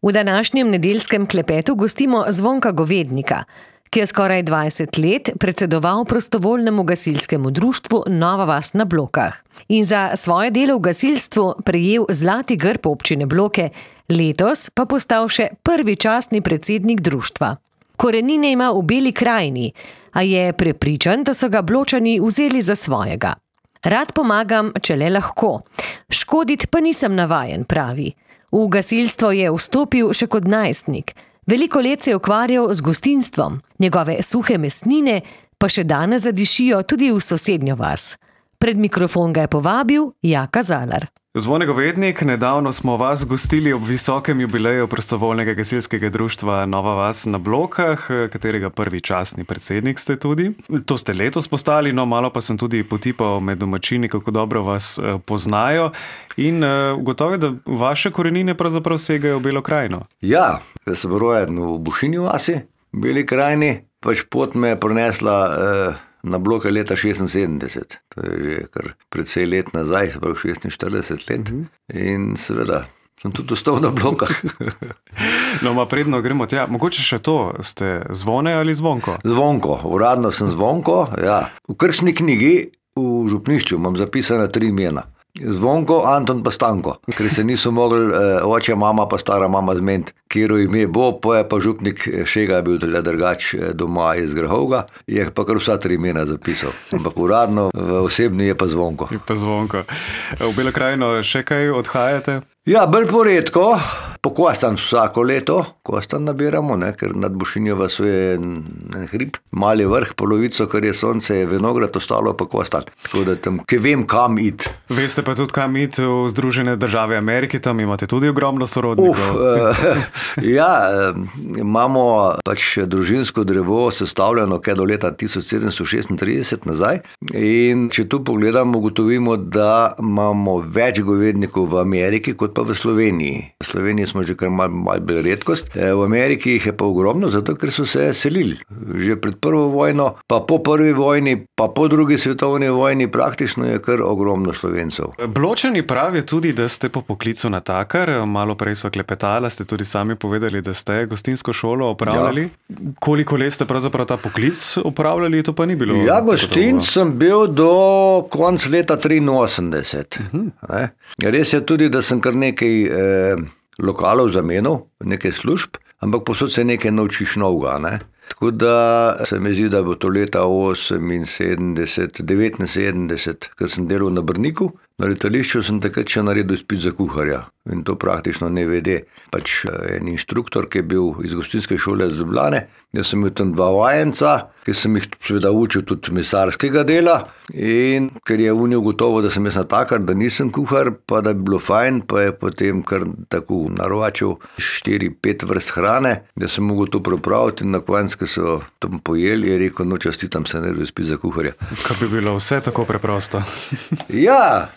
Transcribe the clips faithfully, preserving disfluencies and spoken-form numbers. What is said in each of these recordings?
V današnjem nedeljskem klepetu gostimo Zvonka Govednika, ki je skoraj dvajset let predsedoval prostovoljnemu gasilskemu društvu Nova vas na Blokah in za svoje delo v gasilstvu prejel zlati grb občine Bloke, letos pa postal še prvi častni predsednik društva. Korenine ima v Beli krajini, a je prepričan, da so ga Bločani vzeli za svojega. Rad pomagam, če le lahko. Škodit pa nisem navajen, pravi. V gasilstvo je vstopil še kot najstnik. Veliko let se je ukvarjal z gostinstvom. Njegove suhe mesnine pa še danes zadišijo tudi v sosednjo vas. Pred mikrofon ga je povabil Jaka Zalar. Zvone Govednik, nedavno smo vas gostili ob visokem jubileju prostovoljnega gasilskega društva Nova vas na Blokah, katerega prvi častni predsednik ste tudi. To ste letos postali, no malo pa sem tudi potipal med domačini, kako dobro vas poznajo in ugotovil, da vaše korenine pravzaprav segajo v Belo krajino. Ja, jaz sem rojen v Bušinji vasi, v Beli krajini, pač pot me je prinesla eh, na Bloke leta šestinsedemdeset. To je že kar precej let nazaj, prav šestinštirideset let. In seveda sem tudi ostal na Blokah. No, ma predno gremo tja. Mogoče še to, ste Zvone ali Zvonko? Zvonko, uradno sem Zvonko, ja. V krstni knjigi v župnišču imam zapisana tri imena. Zvonko, Anton pa Stanko, ker se niso mogli eh, oče, mama pa stara mama zmeniti, kjero ime bo, po je pa župnik Šega bil tudi drugač doma iz Grahovga, je pa kar vsa tri imena zapisal, ampak uradno v osebni je pa Zvonko. Je pa Zvonko. V Belo krajino še kaj odhajate? Ja, bolj poredko, po Kostan vsako leto, Kostan nabiramo, ne, ker nad Bušinjo vasu je en hrib, mali vrh, polovico, kar je sonce, je vinograd, ostalo pa Kostan. Tako da tam, ki vem, kam iti. Veste pa tudi, kam iti v Združene države Amerike, tam imate tudi ogromno sorodnikov. Uf, eh, ja, imamo pač družinsko drevo sestavljeno kaj do leta tisoč sedemsto šestintrideset nazaj in če tu pogledamo, ugotovimo, da imamo več govednikov v Ameriki, kot pa v Sloveniji. V Sloveniji smo že kar malo mal bolj redkost. V Ameriki jih je pa ogromno, zato ker so se selili. Že pred prvo vojno, pa po prvi vojni, pa po drugi svetovni vojni praktično je kar ogromno Slovencev. Bločani pravijo tudi, da ste po poklicu natakar. Malo prej so klepetala, ste tudi sami povedali, da ste gostinsko šolo opravljali. Ja. Koliko let ste pravzaprav ta poklic opravljali, to pa ni bilo? Ja, gostinc sem bil do konc leta triinosemdeset. Uh-huh. Res je tudi, da sem kar nekaj eh, lokalov zamenil, nekaj služb, ampak posod se nekaj naučiš novega, ne. Tako da se mi zdi, da bo to leta oseminsedemdeset, devetinsedemdeset, ker sem delal na Brniku, na letališču sem takrat še naredil izpit za kuharja. In to praktično ne vede. Pač en inštruktor, ki je bil iz gostinske šole iz Ljubljane, jaz sem imel tam dva vajenca, ki sem jih seveda učil tudi mesarskega dela in ker je unil gotovo, da sem jaz natakar, da nisem kuhar, pa da bi bilo fajn, pa je potem kar tako naročil štiri, pet vrst hrane, da sem mogel to pripraviti in na koncu, ko so tam pojeli, je rekel, no čestitam se naredil izpit za kuharja. Kaj bi bilo vse tako preprosto? Ja,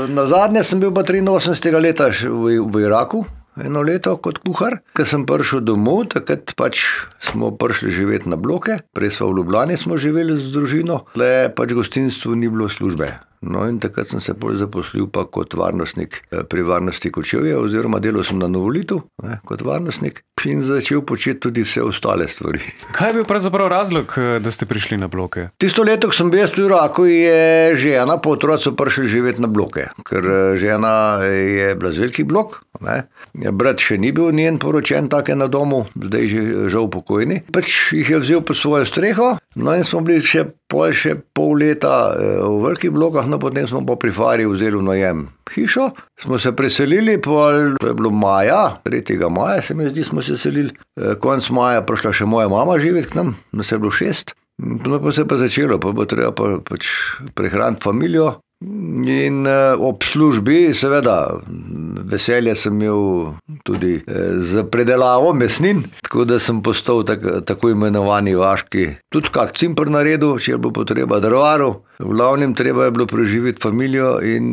na zadnje sem bil pa triinosemdesetega leta v, v Iraku, eno leto kot kuhar. Ko sem prišel domov, takrat pač smo prišli živeti na Bloke, prej smo v Ljubljani smo živeli z družino, le pač gostinstvu ni bilo službe. No in takrat sem se bolj zaposlil pa kot varnostnik pri varnosti Kočevja oziroma delal sem na Novolitu, ne, kot varnostnik in začel početi tudi vse ostale stvari. Kaj je bil pravzaprav razlog, da ste prišli na Bloke? Tisto leto, ko sem bil v Iraku, je žena po otroci prišli živeti na Bloke, ker žena je bila z veliki Blok, ne. Brat še ni bil njen poročen take na domu, zdaj že žal pokojni. Pač jih je vzel po svojo streho, no in smo bili še pol še pol leta v velikih Blokah, no potem smo pa pri Fari vzeli v najem hišo, smo se preselili, pol, to je bilo maja, tretjega maja se mi zdi, smo se selili, konc maja prišla še moja mama živeti k nam, nas je bilo šest, no pa se pa začelo, pa bo treba pa, pač prehraniti familijo in ob službi, seveda, veselje sem imel tudi za predelavo mesnin, tako da sem postal tak, tako imenovani vaški, tudi kak cimpr naredil, če je bilo potreba drvaru, v glavnem treba je bilo preživeti familijo in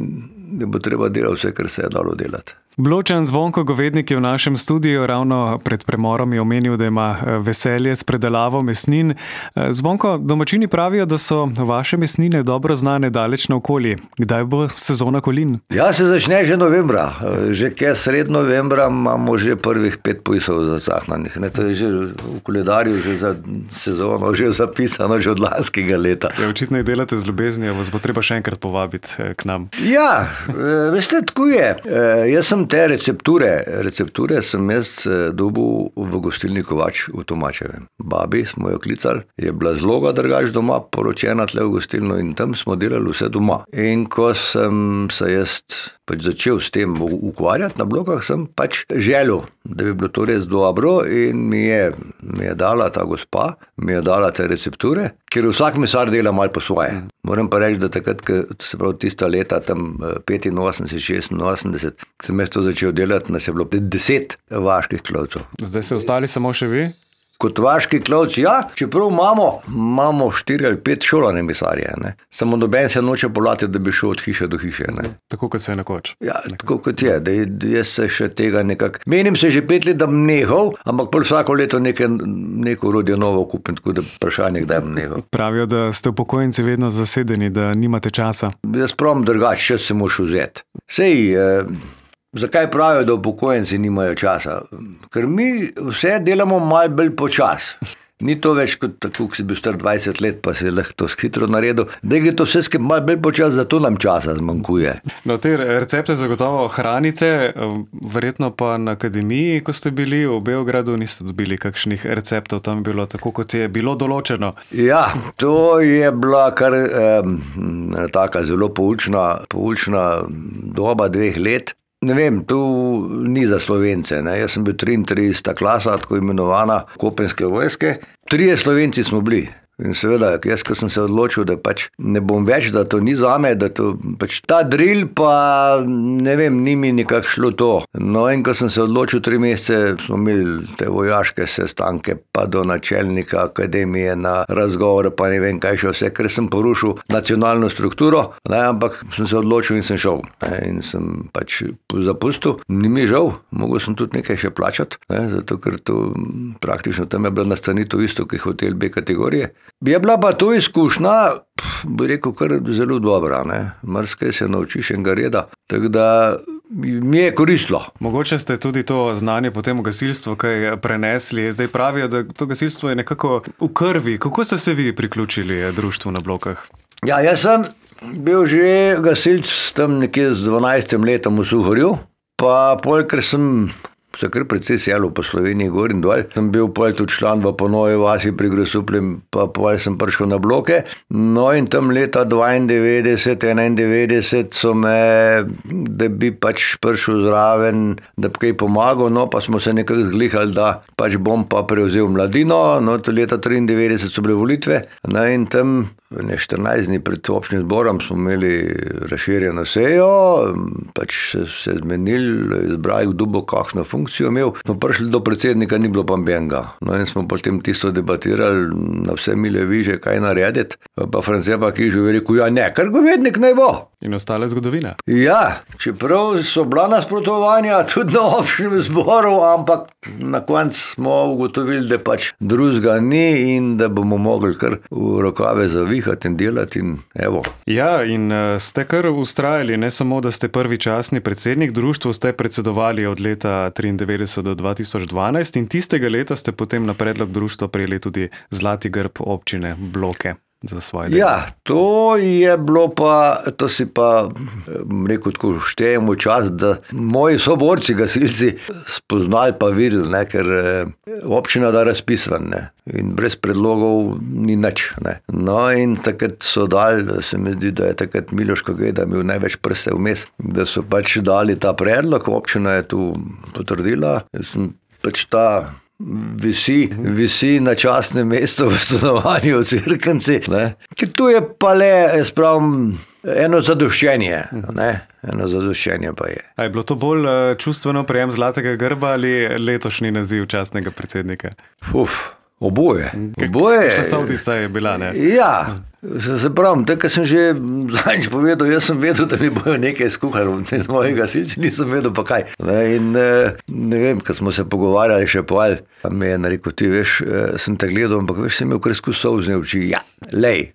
da bo treba delati vse, kar se je dalo delati. Bločan Zvonko Govednik je v našem studiu, ravno pred premorom je omenil, da ima veselje s predelavo mesnin. Zvonko, domačini pravijo, da so vaše mesnine dobro znane daleč naokoli. Kdaj bo sezona kolin? Ja, se začne že novembra. Že kaj sred novembra imamo že prvih pet pujsov zacahnanih. Ne, to je že v koledarju že za sezono, že zapisano že od lanskega leta. Ja, očitno jih delate z ljubeznijo, vas bo treba še enkrat povabiti k nam. Ja, veste, tako je. Jaz sem te recepture, recepture sem jaz dobil v gostilni Kovač v Tomačevem. Babi smo jo klicali, je bila zloga drugač doma, poročena tle v gostilno in tam smo delali vse doma. In ko sem se jaz pač začel s tem ukvarjati na blokah, sem pač želel, da bi bilo to res dobro in mi je, mi je dala ta gospa, mi je dala te recepture, ker vsak mesar dela malo po svoje. Moram pa reči, da takrat, se pravi tista leta, tam petinosemdeset, šestinosemdeset, ko sem jaz to začel delati, nas je bilo deset vaških klovcev. Zdaj se ostali samo še vi? Kot vaški klovci, ja, čeprav imamo, imamo štiri ali pet šolane mesarje, ne. Samo noben se noče polati, da bi šel od hiše do hiše, ne. Tako kot se je nekoč. Ja, tako kot je, da jaz se še tega nekako, menim se že pet let, da bom nehal, ampak pol vsako leto nekaj, neko urodje novo kupim, tako da vprašanje, kdaj bom nehal. Pravijo, da ste upokojenci vedno zasedeni, da nimate časa. Jaz pravim drugače, čas se moš vzeti. Sej, eh, zakaj pravijo, da upokojenci nimajo časa? Ker mi vse delamo malo bolj počas. Ni to več kot tako, ko si bil star dvajset let, pa si lahko to hitro naredil. Da gre to vse skupaj malo bolj počas, zato nam časa zmanjkuje. No, te recepte zagotovo hranite, verjetno pa na akademiji, ko ste bili v Beogradu, niste dobili kakšnih receptov, tam je bilo tako, kot je bilo določeno. Ja, to je bila kar eh, taka zelo poučna, poučna doba dveh let. Ne vem, tu ni za Slovence, ne. Jaz sem bil triintrideseta klasa, tako imenovana kopenske vojske. Trije Slovenci smo bili. In seveda, jaz, ko sem se odločil, da pač ne bom več, da to ni zame, da to pač ta drill pa ne vem, ni mi nekako šlo to. No in ko sem se odločil, tri mesece smo imeli te vojaške sestanke, pa do načelnika akademije na razgovore, pa ne vem kaj še vse, ker sem porušil nacionalno strukturo, ne, ampak sem se odločil in sem šel. Ne, in sem pač zapustil. Ni mi žal, mogel sem tudi nekaj še plačati, ne, zato ker to praktično tam je bila nastanitev isto, kot hotel B kategorije. Je bila pa to izkušnja, bi rekel, kar zelo dobra, ne. Marsikaj se naučiš enega reda, tako da mi je koristilo. Mogoče ste tudi to znanje potem v gasilstvu kaj prenesli. Zdaj pravijo, da to gasilstvo je nekako v krvi. Kako ste se vi priključili društvu na Blokah? Ja, jaz sem bil že gasilc tam nekje z dvanajstim letom v Suhorju, pa pol, ker sem se kar precej selil po Sloveniji gor in dol. Sem bil pol tudi član v Ponovi vasi pri Grosupljem, pa pol sem prišel na Bloke. No in tam leta dvaindevetdeset, enaindevetdeset so me, da bi pač prišel zraven, da bi kaj pomagal, no pa smo se nekako zglihali, da pač bom pa prevzel mladino, no to leta triindevetdeset so bile volitve, no in tam ne štirinajst dni pred občnim zborom smo imeli razširjeno sejo, pač se, se zmenili, izbrali, kdo bo kakšno funkcijo imel. Smo prišli do predsednika, ni bilo pa benga. No in smo potem tisto debatirali na vse mile viže, kaj narediti. Pa Francija pa Kižu je rekel, ja ne, kar Govednik naj bo. In ostale zgodovine. Ja, čeprav so bila nasprotovanja tudi na občnem zboru, ampak na koncu smo ugotovili, da pač drugega ni in da bomo mogli kar v rokave zavihati in delati in evo. Ja, in ste kar ustrajali, ne samo, da ste prvi častni predsednik, društvu ste predsedovali od leta triindevetdeset do dva tisoč dvanajst in tistega leta ste potem na predlog društva prejeli tudi zlati grb občine Bloke za svoje delo. Ja, to je bilo pa, to si pa rekel, tako štejemo čas, da moji soborci, gasilci, spoznali pa videli, ne, ker občina da razpis ven, ne, in brez predlogov ni nič, ne. No in takrat so dali, se mi zdi, da je takrat Miloš Kogeda imel največ prste vmes, da so pač dali ta predlog, občina je tu potrdila, jaz sem pač ta Visi, visi na častnem mestu v stanovanju v Cerknici, ne. Ker tu je pa le, jaz pravim, eno zadoščenje, ne. Eno zadoščenje pa je. A je bilo to bolj čustveno prejem zlatega grba ali letošnji naziv častnega predsednika? Uf, oboje. Oboje. Kakšna solzica je bila, ne? Ja, Se, se pravim, tako sem že zadnjič povedal, jaz sem vedel, da mi bojo nekaj skuhali, z mojih gasilci nisem vedel pa kaj. Ne, in ne vem, ko smo se pogovarjali še pol, me je narekel, ti veš, sem te gledal, ampak veš, sem imel kresku solzne oči. Ja, lej.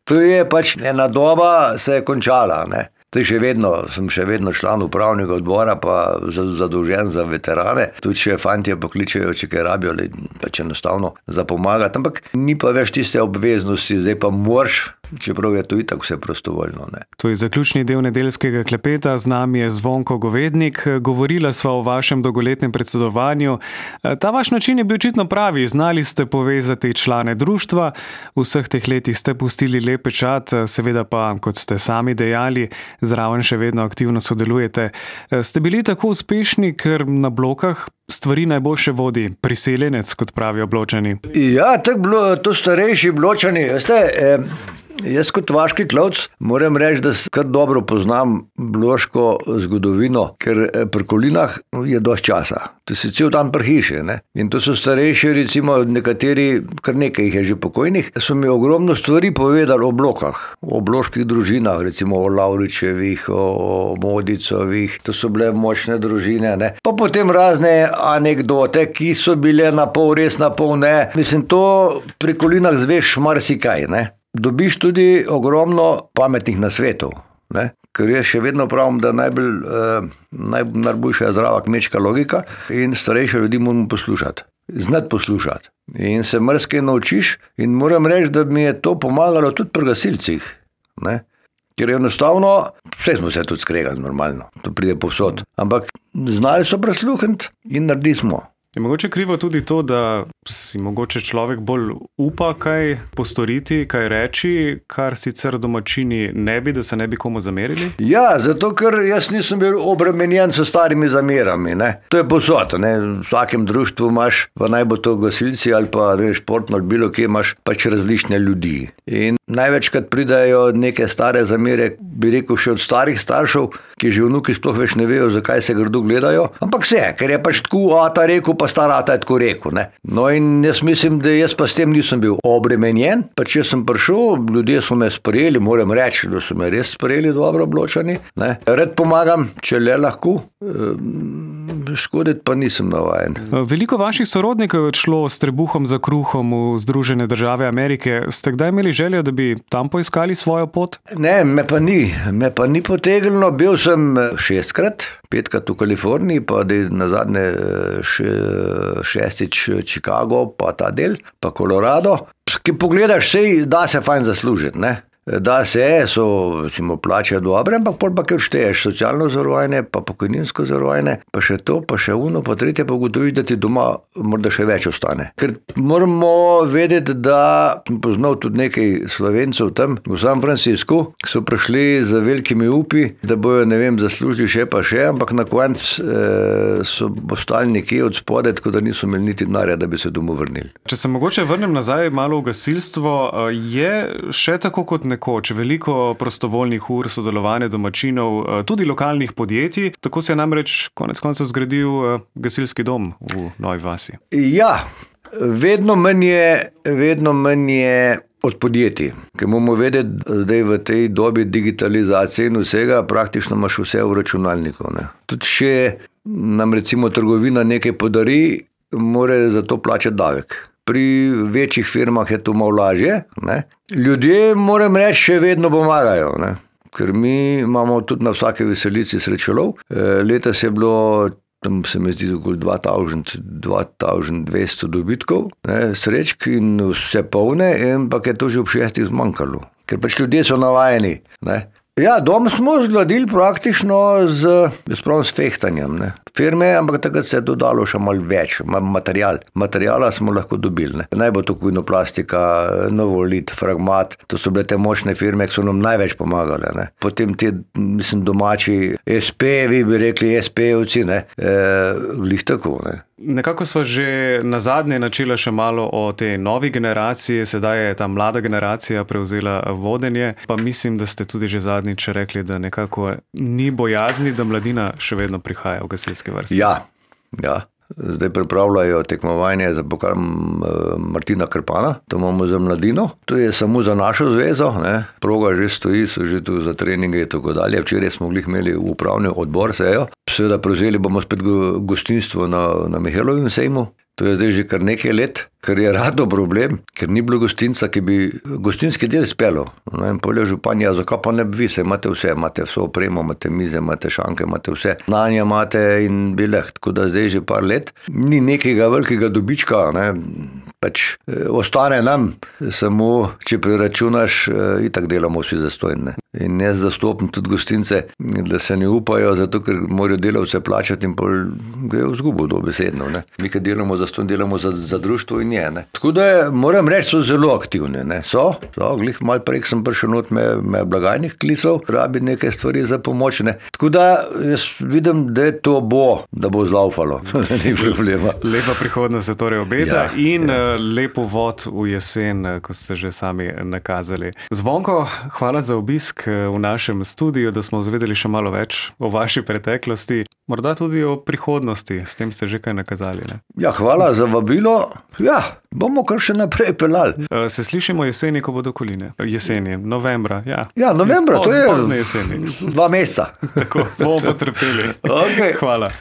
To je pač ena doba se je končala, ne. Zdaj še vedno, sem še vedno član upravnega odbora, pa zadolžen za veterane. Tudi če fantje pokličejo, če kaj rabijo, ali pač enostavno za pomagati. Ampak ni pa več tiste obveznosti, zdaj pa moraš, čeprav je to itak vse prostovoljno. Ne. To je zaključni del nedeljskega klepeta, z nami je Zvonko Govednik. Govorila sva o vašem dolgoletnem predsedovanju. Ta vaš način je bil očitno pravi, znali ste povezati člane društva, v vseh teh letih ste pustili lep pečat, seveda pa, kot ste sami dejali, zraven še vedno aktivno sodelujete. Ste bili tako uspešni, ker na Blokah stvari najboljše vodi priseljenec, kot pravijo Bločani? Ja, tako to starejši Bločani, veste, eh, jaz kot vaški klovc moram reči, da kar dobro poznam bloško zgodovino, ker pri Kolinah je dosti časa. To si cel dan pri hiši, ne. In to so starejši, recimo nekateri, kar nekaj jih je že pokojnih, so mi ogromno stvari povedali o Blokah, o bloških družinah, recimo o Lavričevih, o Modicovih, to so bile močne družine, ne. Pa potem razne anekdote, ki so bile na pol res, na pol ne. Mislim, to pri Kolinah zveš marsikaj, ne. Dobiš tudi ogromno pametnih nasvetov, ne. Ker jaz še vedno pravim, da najbolj, eh, naj, najboljša je zdrava kmečka logika in starejše ljudi moramo poslušati. Znati poslušati. In se marsikaj naučiš in moram reči, da mi je to pomagalo tudi pri gasilcih, ne. Ker enostavno, vse smo se tudi skregali normalno, to pride povsod. Ampak znali so prisluhniti in naredili smo. Je mogoče krivo tudi to, da si mogoče človek bolj upa kaj postoriti, kaj reči, kar sicer domačini ne bi, da se ne bi komu zamerili? Ja, zato ker jaz nisem bil obremenjen s starimi zamerami, ne. To je povsod, ne. V vsakem društvu imaš, pa naj bo to gasilci ali pa ne, športno ali bilo kje, imaš pač različne ljudi. In največkrat pridajo neke stare zamere, bi rekel še od starih staršev, ki že vnuki sploh več ne vejo, zakaj se grdo gledajo. Ampak se, ker je pač tako ata rekel, pa star ata je tako rekel, ne. No in jaz mislim, da jaz pa s tem nisem bil obremenjen, pa če sem prišel, ljudje so me sprejeli, moram reči, da so me res sprejeli dobro Bločani, ne. Rad pomagam, če le lahko, škoditi pa nisem navajen. Veliko vaših sorodnikov je šlo s trebuhom za kruhom v Združene države Amerike. Ste kdaj imeli željo, da bi tam poiskali svojo pot? Ne, me pa ni. Me pa ni potegnilo. Bil sem šestkrat, petkrat v Kaliforniji, pa nazadnje še, šestič Chicago, pa ta del, pa Colorado. Ki pogledaš, sej da se fajn zaslužiti, ne. Da se, so recimo plače dobre, ampak pol pa kaj odšteješ, socialno zavarovanje, pa pokojninsko zavarovanje, pa še to, pa še uno, pa tretje, pa ugotoviš, da ti doma morda še več ostane. Ker moramo vedeti, da poznal tudi nekaj Slovencev tam v San Franciscu, so prišli z velikimi upi, da bojo, ne vem, zaslužili še pa še, ampak na konc eh, so ostali nekje od spode, tako da niso imeli niti denarja, da bi se domov vrnili. Če se mogoče vrnem nazaj malo v gasilstvo, je še tako kot nekoč veliko prostovoljnih ur sodelovanja domačinov, tudi lokalnih podjetij. Tako se je namreč konec koncev zgradil gasilski dom v Novi vasi. Ja, vedno manj je, vedno manj je od podjetij. Ker moramo vedeti, da v tej dobi digitalizacije in vsega praktično imaš vse v računalniku, ne. Tudi če nam recimo trgovina nekaj podari, mora za to plačati davek. Pri večjih firmah je to malo lažje, ne. Ljudje, moram reči, še vedno pomagajo, ne. Ker mi imamo tudi na vsake veselici srečolov. Letos je bilo, tam se mi zdi okoli dva tisoč dvesto dobitkov, ne, srečk in vse polne, ampak je to že ob šestih zmanjkalo. Ker pač ljudje so navajeni, ne. Ja, dom smo zgradili praktično z, jaz pravim, s fehtanjem, ne. Firme, ampak takrat se je dodalo še malo več, material. Materijala smo lahko dobili, ne. Naj bo to Kuinoplastika, Novolit, Fragmat, to so bile te močne firme, ki so nam največ pomagale, ne. Potem te, mislim, domači es pe, vi bi rekli es pe-ovci, ne, e, glih tako, ne. Nekako sva že nazadnje načela še malo o tej novi generaciji, sedaj je ta mlada generacija prevzela vodenje, pa mislim, da ste tudi že zadnjič rekli, da nekako ni bojazni, da mladina še vedno prihaja v gasilske vrste. Ja, ja. zdaj pripravljajo tekmovanje za pokal Martina Krpana, to imamo za mladino, to je samo za našo zvezo, ne. Proga že stoji, so že tu za treninge in tako dalje. Včeraj smo glih imeli upravni odbor sejo, seveda prevzeli bomo spet gostinstvo na, na Mihelovem sejmu. To je zdaj že kar nekaj let, kar je rado problem, ker ni bilo gostinca, ki bi gostinski del spelo. No in polje županja, zakaj pa ne bi vi, se imate vse, imate vso opremo, imate mize, imate šanke, imate vse, nanje imate in bileh, tako da zdaj že par let. Ni nekega velikega dobička, ne, pač ostane nam, samo če preračunaš, itak delamo vsi zastojne. In jaz zastopim tudi gostince, da se ne upajo, zato ker morajo delavce plačati in pol grejo v zgubo dobesedno. Ne. Mi, ki delamo za stojn, delamo za, za društvo in je. Ne. Tako da moram reči, so zelo aktivni. Ne. So, so, glih malo prej sem prišel not, me, me blagajnih klisov, rabi nekaj stvari za pomoč. Ne. Tako da jaz vidim, da to bo, da bo zlaufalo. Ni problema. Lepa prihodnost se torej obeta ja, in ja. lepo vod v jesen, kot ste že sami nakazali. Zvonko, hvala za obisk v našem studiu, da smo zvedeli še malo več o vaši preteklosti, morda tudi o prihodnosti, s tem ste že kaj nakazali. Ne? Ja, hvala za vabilo. Ja, bomo kar še naprej pelali. Se slišimo jeseni, ko bodo koline. Jeseni, novembra, ja. Ja, novembra, to je pozne jeseni. Dva meseca. Tako, bomo potrpeli. Okay. Hvala.